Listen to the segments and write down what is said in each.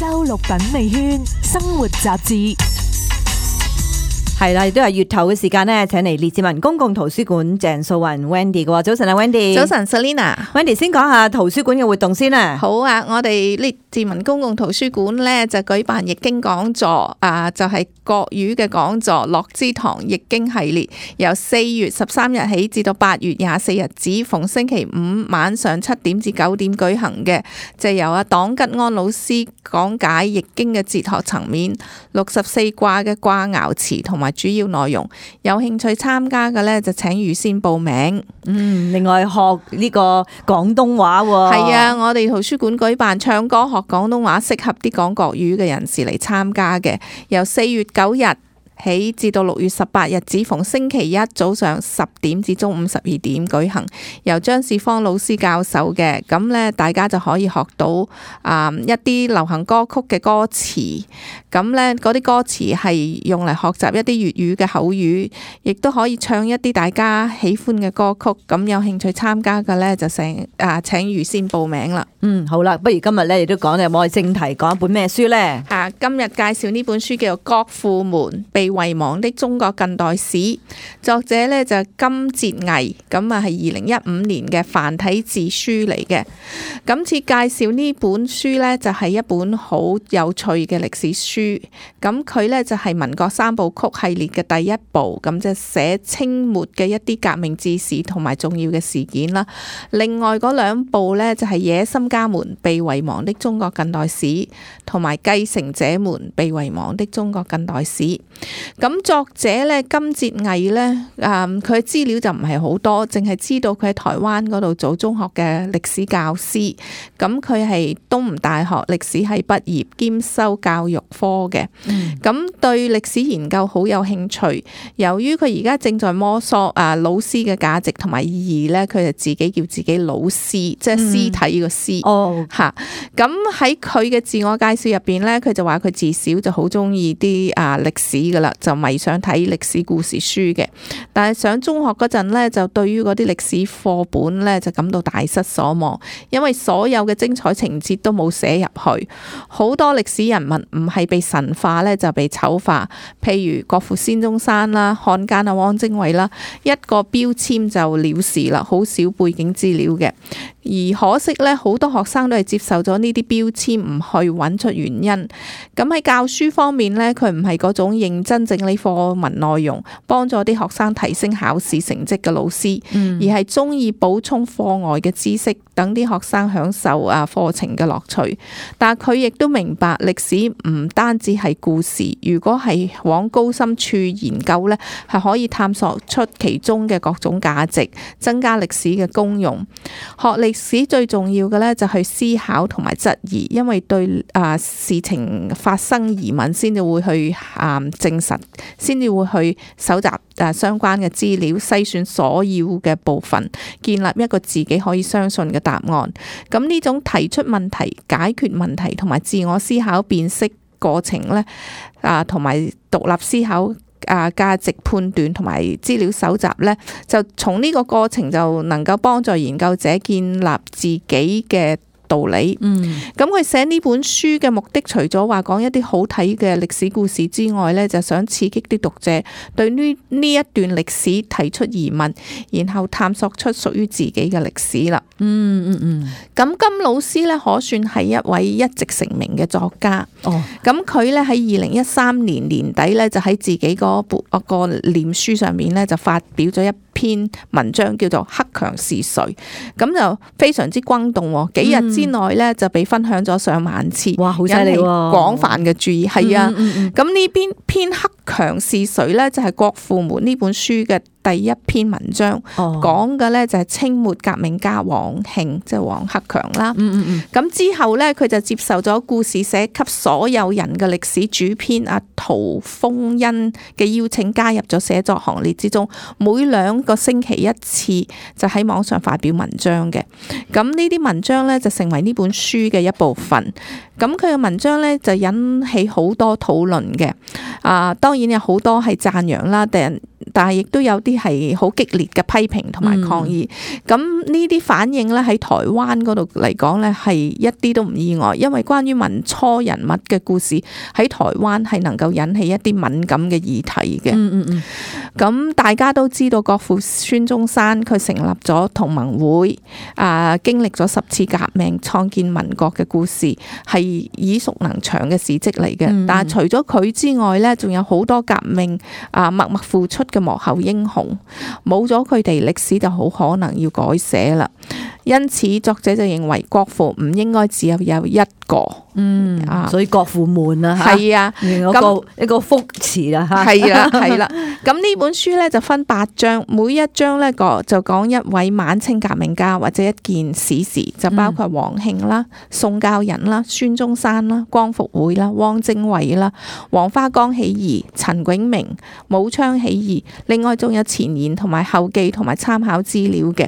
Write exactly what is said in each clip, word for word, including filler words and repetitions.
周六品味圈生活雜誌。係啦，亦都係月頭嘅時間呢，請嚟列治文公共圖書館鄭素雲 Wendy 嘅喎。早晨啊 Wendy。早晨 Selina。Wendy 先講下圖書館嘅活動先啦。好啊，我哋列治文公共圖書館呢就舉辦易經講座啊，就係、是、國語嘅講座，樂之堂易經系列，由四月十三日起至到八月廿四日止，逢星期五晚上七點至九點舉行嘅，就由阿黨吉安老師講解易經嘅哲學層面、六十四卦嘅卦爻辭同埋主要內容。有興趣參加嘅呢，就請預先報名。嗯，另外學呢個廣東話喎。係啊，我哋圖書館舉辦唱歌學廣東話，適合啲講國語嘅人士嚟參加嘅，由四月九日起至到六月十八日，只逢星期一早上十點至中午十二點舉行，由張士芳老師教授嘅。咁咧，大家就可以學到啊、嗯、一啲流行歌曲嘅歌詞。咁咧，嗰啲歌詞係用嚟學習一啲粵語嘅口語，亦都可以唱一啲大家喜歡嘅歌曲。咁有興趣參加嘅咧，就成啊請預先報名啦。嗯，好啦，不如今日咧亦都講，有冇正題講一本咩書咧？啊，今日介紹呢本書叫做《國父們被遺忘的中國近代史》，作者咧就金哲毅，咁啊係二零一五年嘅繁體字書嚟嘅。今次介紹呢本書咧就係一本好有趣嘅歷史書，咁佢咧就係民國三部曲系列嘅第一部，咁就寫清末嘅一啲革命志士同埋重要嘅事件啦。另外嗰兩部咧就係野心家們被遺忘的中國近代史，同埋繼承者們被遺忘的中國近代史。咁作者咧金哲毅咧，誒佢資料就唔係好多，淨係知道佢喺台灣嗰度做中學嘅歷史教師。咁佢係東吳大學歷史系畢業，兼修教育科嘅。咁、嗯、對歷史研究好有興趣。由於佢而家正在摸索啊老師嘅價值同埋意義咧，佢就自己叫自己老師，即係屍體個屍。哦，吓。咁喺佢嘅自我介紹入邊咧，佢就話佢自小就好中意啲啊歷史噶啦，就迷上睇歷史故事書嘅。但係上中學嗰陣咧，就對於嗰啲歷史課本咧就感到大失所望，因為所有嘅精彩情節都冇寫入去，好多歷史人物唔係被神化咧，就被醜化。譬如國父孫中山啦、漢奸啊汪精衛啦，一個標籤就了事啦，好少背景資料嘅。而可惜咧，好多學生都係接受咗呢啲標籤，唔去揾出原因。咁喺教書方面咧，佢唔係嗰種認真整理課文內容，幫助啲學生提升考試成績嘅老師，嗯、而係中意補充課外嘅知識，等啲學生享受啊課程嘅樂趣。但係佢亦都明白歷史唔單止係故事，如果係往高深處研究咧，係可以探索出其中嘅各種價值，增加歷史嘅功用。學歷史最重要嘅咧就係思考同埋質疑，因為對啊事情發生疑問先至會去啊證實，先至會去搜集啊相關嘅資料，篩選所要嘅部分，建立一個自己可以相信嘅答案。咁呢種提出問題、解決問題同埋自我思考辨識過程咧，啊同埋獨立思考啊價值判斷同埋資料搜集咧，就從呢個過程就能夠幫助研究者建立自己嘅道理。嗯，咁佢寫呢本書嘅目的，除咗話講一啲好睇嘅歷史故事之外咧，就想刺激啲讀者對呢呢一段歷史提出疑問，然後探索出屬於自己嘅歷史啦。嗯嗯嗯。咁金老師咧，可算係一位一直成名嘅作家。哦。咁佢咧喺二零一三年年底咧，就喺自己嗰部個臉書上面咧，就發表咗一篇文章，叫做《克強是誰》。咁就非常之轟動，幾日之內咧就被分享咗上萬次，哇，好犀利喎！引起廣泛嘅注意，係啊。咁呢邊篇《克強是誰》咧，就係《國父們》呢本書嘅第一篇文章，講嘅咧就係清末革命家黃慶，即係黃克強啦。嗯嗯嗯。咁之後咧，佢就接受咗故事寫給所有人嘅歷史主編阿陶豐恩嘅邀請，加入咗寫作行列之中。每兩個星期一次，就喺網上發表文章嘅。咁呢啲文章咧就成為呢本書嘅一部分。咁佢嘅文章咧就引起好多討論嘅。啊，當然有好多係讚揚啦，但但係亦都有啲係好激烈嘅批評同埋抗議。咁呢啲反應咧喺台灣嗰度嚟講咧係一啲都唔意外，因為關於民初人物嘅故事喺台灣係能夠引起一啲敏感嘅議題嘅。嗯嗯嗯。咁大家都知道國父孫中山佢成立咗同盟會，啊經歷咗十次革命創建民國嘅故事係耳熟能詳嘅事蹟嚟嘅。嗯、但係除咗佢之外咧，仲有好多革命啊默默付出嘅幕後英雄，冇咗佢哋，歷史就好可能要改寫啦。因此作者就認為國父唔應該只有有一個。嗯，啊，所以國父們啊，係啊，一個一個福詞啦，嚇，係啦，係啦。咁呢本書咧就分八章，每一章咧個就講一位晚清革命家或者一件史事，就包括黃慶啦、宋教仁啦、孫中山啦、光復會啦、汪精衛啦、黃花崗起義、陳炯明、武昌起義，另外仲有前言同埋後記同埋參考資料嘅。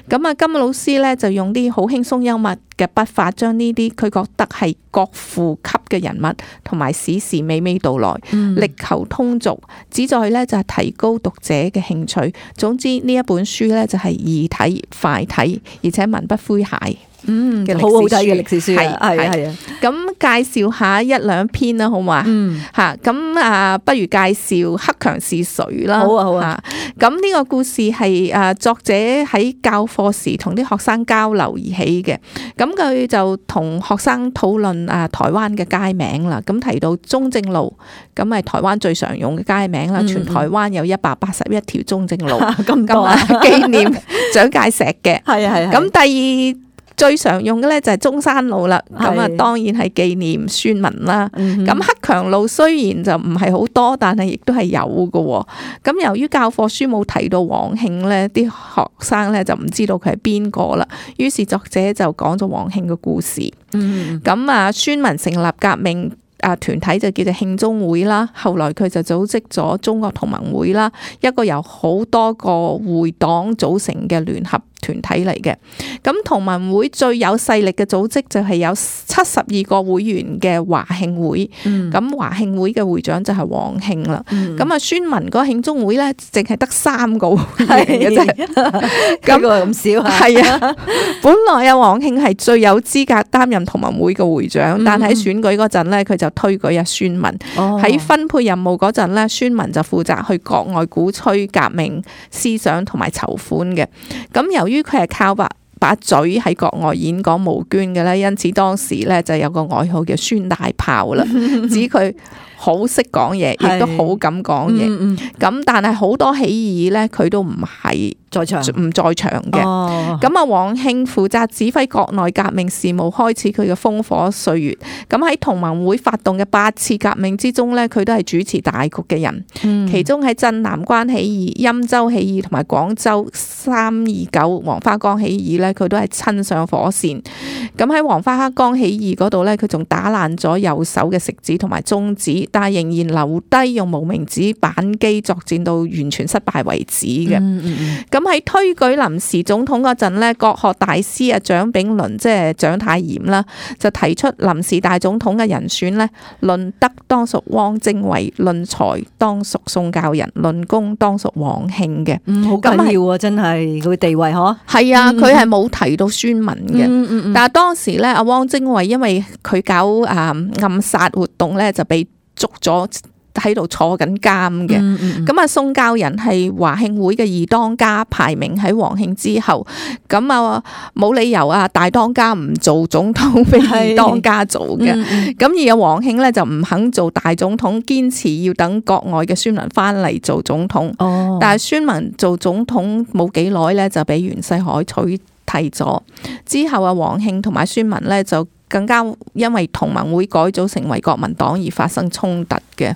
咁啊，金老師咧就用啲好輕鬆幽默嘅筆法，將呢啲佢覺得係國父級嘅人物同埋史事娓娓道來，嗯、力求通俗，旨在咧就係提高讀者嘅興趣。總之呢一本書咧就係易睇快睇，而且文筆詼諧。嗯，好好睇嘅歷史書，係係係啊。咁介紹下一兩篇啦，好嘛？嗯，吓咁啊，不如介紹克強是誰啦。好啊，好啊。咁呢個故事係誒作者喺教課時同啲學生交流而起嘅。咁佢就同學生討論啊台灣嘅街名啦。咁提到中正路，咁係台灣最常用嘅街名啦。嗯、全台灣有一百八十一條中正路，咁多啊，紀念蔣介石嘅。係啊係啊。咁第二最常用嘅咧就係中山路啦，咁啊當然係紀念孫文啦。咁克強路雖然就唔係好多，但係亦都係有嘅。咁由於教課書冇提到黃慶咧，啲學生咧就唔知道佢係邊個啦。於是作者就講咗黃慶嘅故事。咁啊，孫文成立革命啊團體就叫做慶中會啦，後來佢就組織咗中國同盟會啦，一個由好多個會黨組成嘅聯合團體嚟嘅。咁同盟會最有勢力嘅組織就係有七十二個會員嘅華慶會。咁華慶會嘅會長就係黃慶啦。咁啊孫文嗰個慶中會咧，淨係得三個會員嘅啫。咁咁少係啊。本來啊黃慶係最有資格擔任同盟會嘅會長，但喺選舉嗰陣咧，佢就推舉阿孫文。喺、哦、分配任務嗰陣咧，孫文就負責去國外鼓吹革命思想同埋籌款嘅。咁由於佢係靠把把嘴喺國外演講募捐嘅咧，因此當時咧就有個外號叫孫大炮啦，指佢好識講嘢，亦都好敢講嘢。咁、嗯嗯、但係好多起義咧，佢都唔係在場，唔在場嘅。咁啊，黃慶負責指揮國內革命事務，開始佢嘅風火歲月。咁喺同盟會發動嘅八次革命之中咧，佢都係主持大局嘅人。嗯、其中喺鎮南關起義、欽州起義同埋廣州三二九黃花崗起義咧，佢都係親上火線。咁喺黃花崗起義嗰度咧，佢仲打爛咗右手嘅食指同埋中指，但係仍然留低用無名指扳機作戰到完全失敗為止嘅。咁喺、嗯、推舉臨時總統嗰陣咧，國學大師啊蔣炳麟即係蔣太炎啦，就提出臨時大總統嘅人選咧，論德當屬汪精衛，論才當屬宋教仁，論功當屬黃慶嘅。嗯，好緊要啊，真係佢地位嗬。係啊，佢係冇提到孫文嘅。嗯嗯嗯、但係當時咧，阿汪精衛因為佢搞誒暗殺活動咧，就被捉咗喺度坐緊監嘅。咁啊、嗯嗯，宋教仁係華慶會嘅二當家，排名喺黃慶之後。咁啊，冇理由啊，大當家唔做總統俾二當家做嘅。咁、嗯嗯、而阿黃慶咧就唔肯做大總統，堅持要等國外嘅孫文翻嚟做總統。哦、但係孫文做總統冇幾耐咧，就俾袁世凱取替咗。之後啊，黃慶同埋孫文咧就更加因為同盟會改組成為國民黨而發生衝突嘅。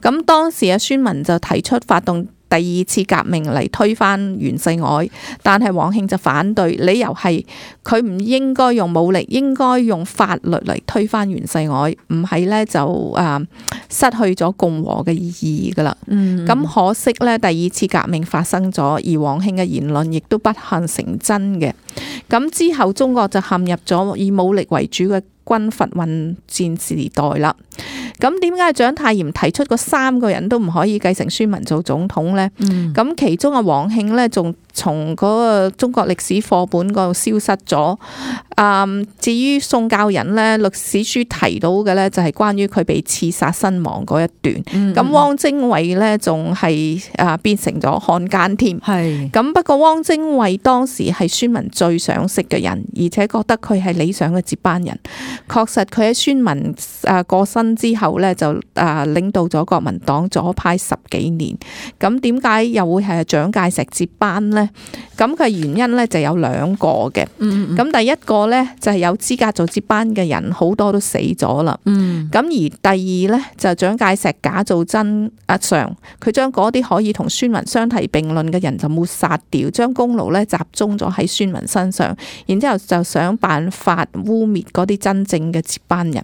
咁當時啊，孫文就提出發動第二次革命嚟推翻袁世凱，但係黃慶就反對，理由係佢唔應該用武力，應該用法律嚟推翻袁世凱，唔係咧就誒失去咗共和嘅意義噶啦。咁、嗯、可惜咧，第二次革命發生咗，而黃慶嘅言論亦都不幸成真嘅。咁之後中國就陷入咗以武力為主嘅軍閥混戰時代啦。咁點解蔣太炎提出嗰三個人都唔可以繼承孫文做總統呢？咁、嗯、其中啊黃慶呢，仲從嗰個中國歷史課本嗰度消失咗。嗯，至於宋教仁呢，歷史書提到嘅呢，就係關於佢被刺殺身亡嗰一段。咁、嗯、汪精衛呢，仲係啊變成咗漢奸添。係咁，不過汪精衛當時係孫文最賞識嘅人，而且覺得佢係理想嘅接班人。確實佢喺孫文啊過身之後呢，就啊領導咗國民黨左派十幾年。咁點解又會係蔣介石接班呢？咁佢原因呢，就有兩個嘅。咁、嗯嗯、第一個呢，就係有資格做接班嘅人好多都死咗啦。咁、嗯、而第二呢，就蔣介石假造真阿常，佢將嗰啲可以同孫文相提並論嘅人就抹殺掉，將功勞呢集中咗喺孫文身上，然之後就想辦法污蔑嗰啲真正嘅接班人。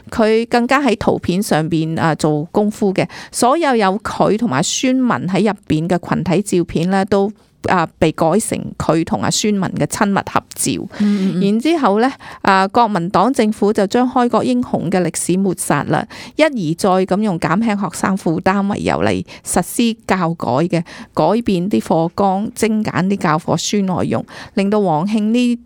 佢更加喺圖片上邊啊做功夫嘅，所有有佢同埋孫文喺入邊嘅群體照片呢，都啊，被改成佢同阿孫文嘅親密合照。嗯嗯，然之後咧，啊，國民黨政府就將開國英雄嘅歷史抹殺啦，一而再咁用減輕學生負擔為由嚟實施教改嘅，改變啲課綱，精簡啲教科書內容，令到黃慶呢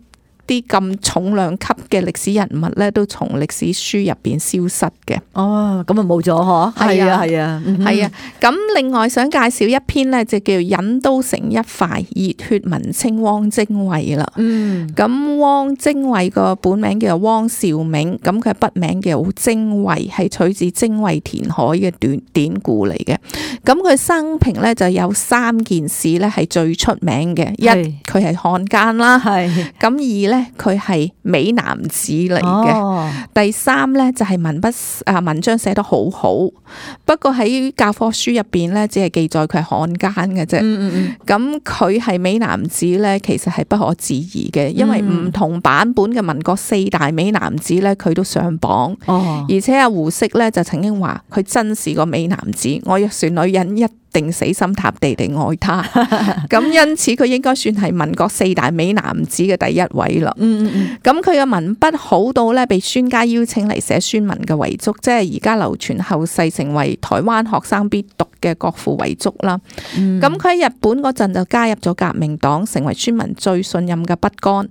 啲咁重量級嘅歷史人物咧，都從歷史書入邊消失嘅。哦，咁啊冇咗嗬？係啊係啊係啊。咁、嗯、另外想介紹一篇咧，就叫《引刀成一塊熱血文青汪精衛》啦。嗯。咁汪精衛個本名叫做汪兆銘，咁佢筆名叫精衛，係取自精衛填海嘅段典故嚟嘅。咁佢生平咧就有三件事咧係最出名嘅，一佢係漢奸啦，係咁二咧。佢係美男子嚟嘅。哦、第三咧就係文筆啊文章寫得好好，不過喺教科書入邊咧只係記載佢係漢奸嘅啫。咁佢係美男子咧，其實係不可置疑嘅，因為唔同版本嘅民國四大美男子咧，佢都上榜。哦、而且阿胡適咧就曾經話佢真是個美男子，我若是女人一定死心塌地地愛他。咁因此佢應該算係民國四大美男子嘅第一位啦。咁佢嘅文筆好到咧，被孫家邀請嚟寫孫文嘅遺囑，即係而家流傳後世成為台灣學生必讀嘅國父遺囑啦。咁佢喺日本嗰陣就加入咗革命黨，成為孫文最信任嘅筆桿。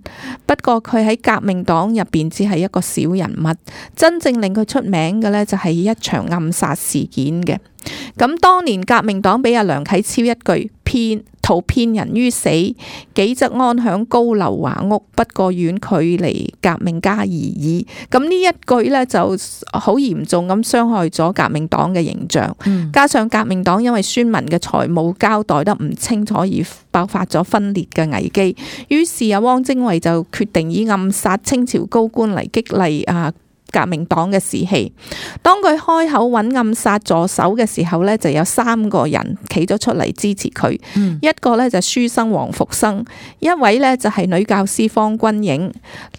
不過佢喺革命黨入邊只係一個小人物，真正令佢出名嘅咧就係一場暗殺事件嘅。咁當年革命黨俾阿梁啟超一句騙圖騙人於死，己則安享高樓華屋，不過遠距離革命家而已。咁呢一句咧就好嚴重咁傷害咗革命黨嘅形象。嗯、加上革命黨因為孫文嘅財務交代得唔清楚而爆發咗分裂嘅危機，於是阿汪精衛就決定以暗殺清朝高官嚟激勵啊革命黨嘅士氣。當佢開口揾暗殺助手嘅時候呢，就有三個人企咗出嚟支持佢。嗯、一個呢就書生黃復生，一位呢就係女教師方君影，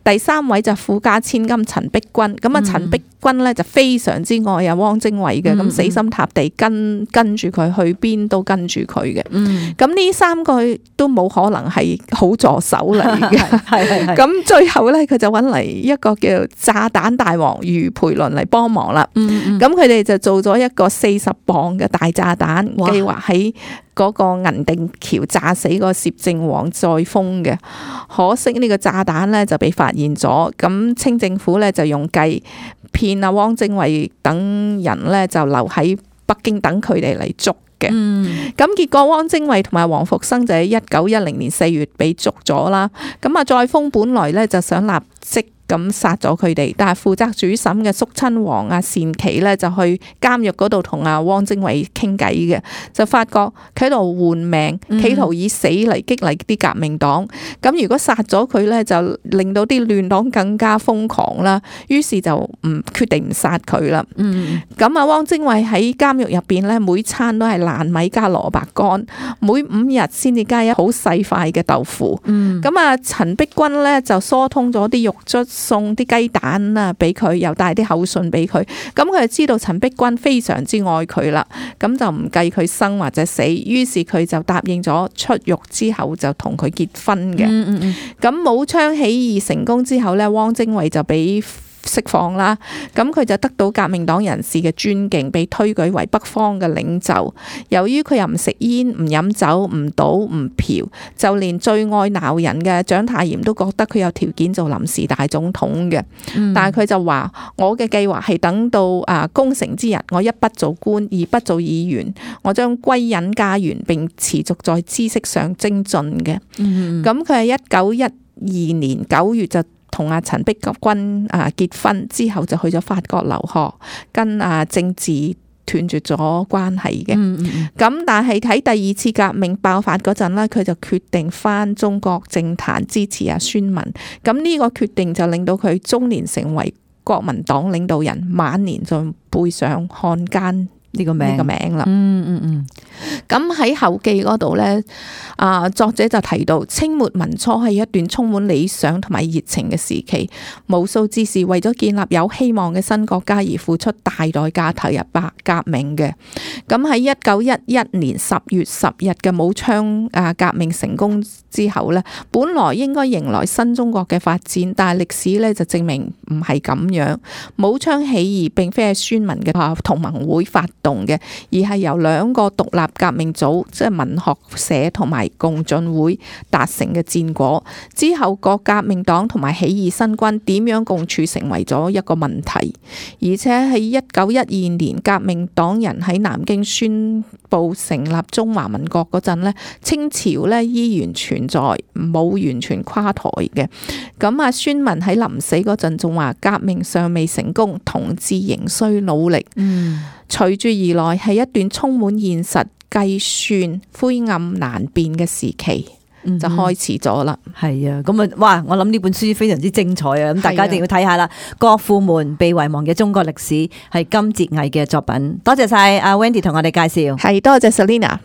第三位就富家千金陳碧君。咁啊，陳碧君呢就非常之愛啊汪精衛嘅，咁、嗯、死心塌地跟跟住佢去邊都跟住佢嘅。咁呢、嗯、三個都冇可能係好助手嚟嘅。係咁最後呢，佢就揾嚟一個叫炸彈大王余培倫嚟幫忙啦。咁佢哋就做咗一個四十磅嘅大炸彈，計劃喺嗰個銀锭橋炸死個攝政王載灃嘅。可惜呢個炸彈咧就被發現咗，咁清政府咧就用計騙阿汪精衛等人咧就留喺北京等佢哋嚟捉嘅。咁、嗯、結果汪精衛同埋黃復生就喺一九一零年四月被捉咗啦。咁啊載灃本來咧就想立即咁殺咗佢哋，但係負責主審嘅肅親王阿單琪咧就去監獄嗰度同阿汪精衛傾偈嘅，就發覺佢喺度換命，企圖以死嚟激勵啲革命黨。咁、嗯、如果殺咗佢咧，就令到啲亂黨更加瘋狂啦。於是就唔決定唔殺佢啦。咁啊、嗯，汪精衛喺監獄入邊咧，每餐都係爛米加蘿蔔乾，每五日先至加一好細塊嘅豆腐。咁啊、嗯，陳碧君咧就疏通咗啲獄卒，送啲雞蛋啊俾佢，又帶啲口信俾佢。咁佢就知道陳碧君非常之愛佢啦，咁就唔計佢生或者死，於是佢就答應咗出獄之後就同佢結婚嘅。咁、嗯嗯嗯、武昌起義成功之後咧，汪精衛就俾釋放啦。咁佢就得到革命黨人士嘅尊敬，被推舉為北方嘅領袖。由於佢又唔食煙、唔飲酒、唔賭、唔嫖，就連最愛鬧人嘅蔣太嚴都覺得佢有條件做臨時大總統嘅。嗯、但係佢就話：我嘅計劃係等到啊功成之日，我一不做官，二不做議員，我將歸隱家園並持續在知識上精進嘅。咁佢係一九一二年九月就同阿陳碧君啊結婚，之後就去咗法國留學，跟啊政治斷絕咗關係嘅。咁、嗯嗯、但係喺第二次革命爆發嗰陣咧，佢就決定返中國政壇支持阿孫文。咁呢個決定就令到佢中年成為國民黨領導人，晚年就背上漢奸呢個名呢個名啦。嗯嗯嗯。咁喺後記嗰度呢，啊作者就提到清末民初係一段充滿理想同埋熱情嘅時期，無數志士為咗建立有希望嘅新國家而付出大代價投入白革命嘅。咁喺一九一一年十月十日嘅武昌啊革命成功之後呢，本來應該迎來新中國嘅發展，但係歷史呢就證明唔係咁樣。武昌起義並非係孫文嘅同盟會發動嘅，而係由兩個獨立革命組，即係文學社同埋共進會達成嘅戰果。之後各革命黨同埋起義新軍點樣共處成為咗一個問題。而且喺一九一二年革命黨人喺南京宣布成立中華民國嗰陣咧，清朝咧依然存在，冇完全垮台嘅。咁啊，孫文喺臨死嗰陣仲話革命尚未成功，同志仍需努力。嗯，隨住而來係一段充滿現實計算、灰暗難辨嘅時期，嗯、就開始咗啦。係啊，咁啊，哇！我諗呢本書非常之精彩啊，咁大家一定要睇下啦。國父們被遺忘嘅中國歷史係金哲毅嘅作品。多謝晒阿 Wendy 同我哋介紹，係多謝 Selina。